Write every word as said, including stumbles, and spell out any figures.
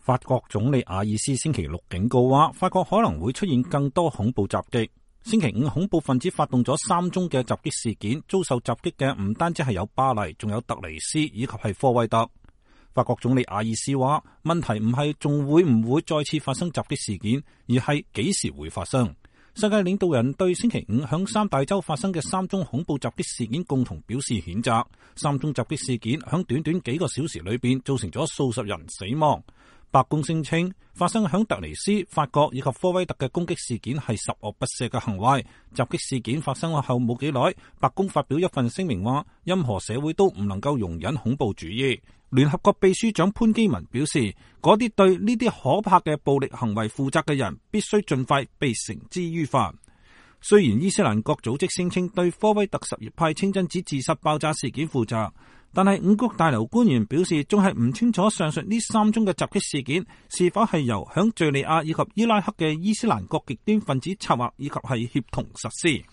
法國總理阿爾斯星期六警告話，法國可能會出現更多恐怖襲擊。星期五，恐怖分子發動咗三宗嘅襲擊事件，遭受襲擊嘅唔單止係有巴黎，仲有特尼斯以及係科威特。法國總理阿爾斯話，問題唔係仲會唔會再次發生襲擊事件，而係幾時會發生。世界領導人對星期五響三大洲發生嘅三宗恐怖襲擊事件共同表示譴責。三宗襲擊事件響短短幾個小時裏邊造成咗數十人死亡。白宮聲稱，發生響突尼斯、法國以及科威特嘅攻擊事件係十惡不赦嘅行為。襲擊事件發生後冇幾耐，白宮發表一份聲明話，任何社會都唔能夠容忍恐怖主義。聯合國秘書長潘基文表示，嗰啲對呢啲可怕嘅暴力行為負責嘅人，必須盡快被繩之於法。雖然伊斯蘭國組織聲稱對科威特什葉派清真寺自殺爆炸事件負責，但係五角大樓官員表示，仲係唔清楚上述呢三宗嘅襲擊事件是否係由響敘利亞以及伊拉克嘅伊斯蘭國極端分子策劃以及係協同實施。